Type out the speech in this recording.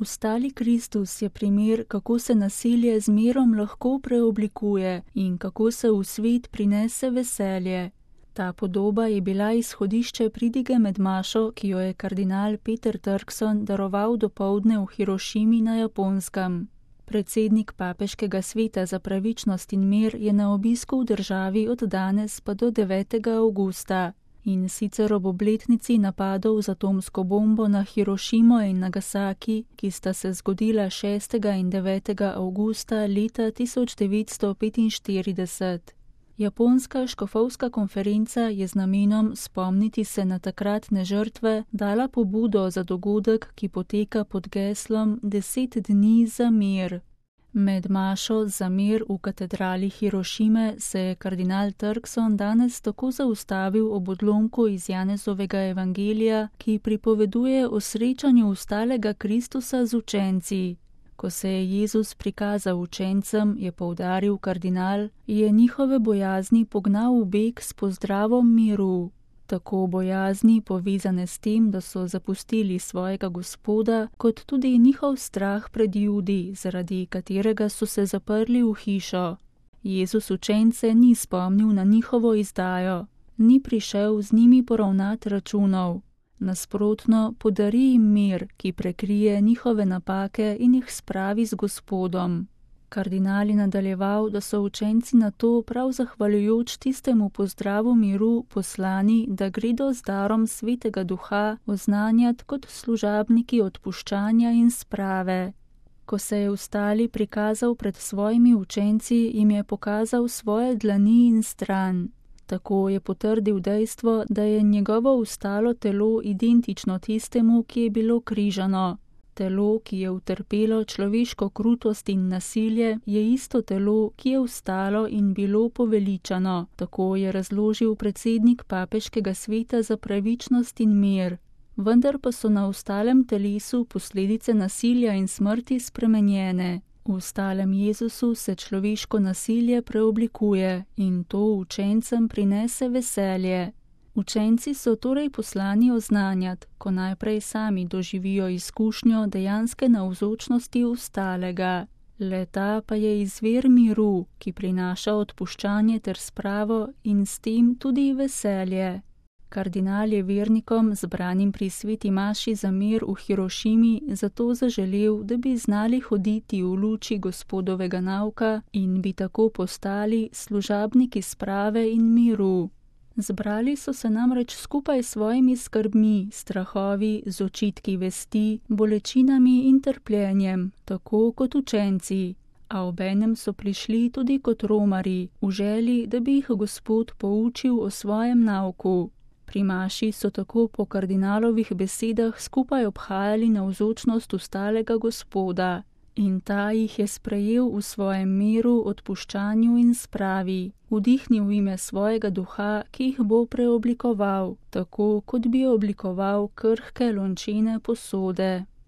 Vstali Kristus je primer, kako se nasilje z mirom lahko preoblikuje in kako se v svet prinese veselje. Ta podoba je bila izhodišče pridige med mašo, ki jo je kardinal Peter Turkson daroval dopoldne v Hirošimi na Japonskem. Predsednik Papeškega sveta za pravičnost in mir je na obisku v državi od danes pa do 9. avgusta. In sicer ob obletnici napadov z atomsko bombo na Hirošimo in Nagasaki, ki sta se zgodila 6. in 9. avgusta leta 1945. Japonska škofovska konferenca je z namenom spomniti se na takratne žrtve dala pobudo za dogodek, ki poteka pod geslom 10 dni za mir. Med mašo za mir v katedrali Hirošime se je kardinal Turkson danes tako zaustavil ob odlomku iz Janezovega evangelija, ki pripoveduje o srečanju vstalega Kristusa z učenci. Ko se je Jezus prikazal učencem, je poudaril kardinal, je njihove bojazni pognal v beg s pozdravom miru. Tako bojazni, povezane s tem, da so zapustili svojega Gospoda, kot tudi njihov strah pred Judi, zaradi katerega so se zaprli v hišo. Jezus učence ni spomnil na njihovo izdajo, ni prišel z njimi poravnati računov. Nasprotno, podari jim mir, ki prekrije njihove napake in jih spravi z Gospodom. Kardinal je nadaljeval, da so učenci na to prav zahvaljujoč tistemu pozdravu miru poslani, da gredo z darom Svetega Duha oznanjati kot služabniki odpuščanja in sprave. Ko se je vstali prikazal pred svojimi učenci, jim je pokazal svoje dlani in stran. Tako je potrdil dejstvo, da je njegovo vstalo telo identično tistemu, ki je bilo križano. Telo, ki je utrpelo človeško krutost in nasilje, je isto telo, ki je vstalo in bilo poveličano, tako je razložil predsednik Papeškega sveta za pravičnost in mir. Vendar pa so na vstalem telesu posledice nasilja in smrti spremenjene. V vstalem Jezusu se človeško nasilje preoblikuje in to učencem prinese veselje. Učenci so torej poslani oznanjati, ko najprej sami doživijo izkušnjo dejanske navzočnosti vstalega. Le-ta pa je izvir miru, ki prinaša odpuščanje ter spravo in s tem tudi veselje. Kardinal je vernikom, zbranim pri sveti maši za mir v Hirošimi, zato zaželel, da bi znali hoditi v luči Gospodovega nauka in bi tako postali služabniki sprave in miru. Zbrali so se namreč skupaj s svojimi skrbmi, strahovi, z očitki vesti, bolečinami in trpljenjem, tako kot učenci. A obenem so prišli tudi kot romarji, v želji, da bi jih Gospod poučil o svojem nauku. Pri maši so tako po kardinalovih besedah skupaj obhajali navzočnost vstalega Gospoda. In ta jih je sprejel v svojem miru, odpuščanju in spravi, vdihnil v ime svojega duha, ki jih bo preoblikoval, tako kot bi oblikoval krhke lončene posode.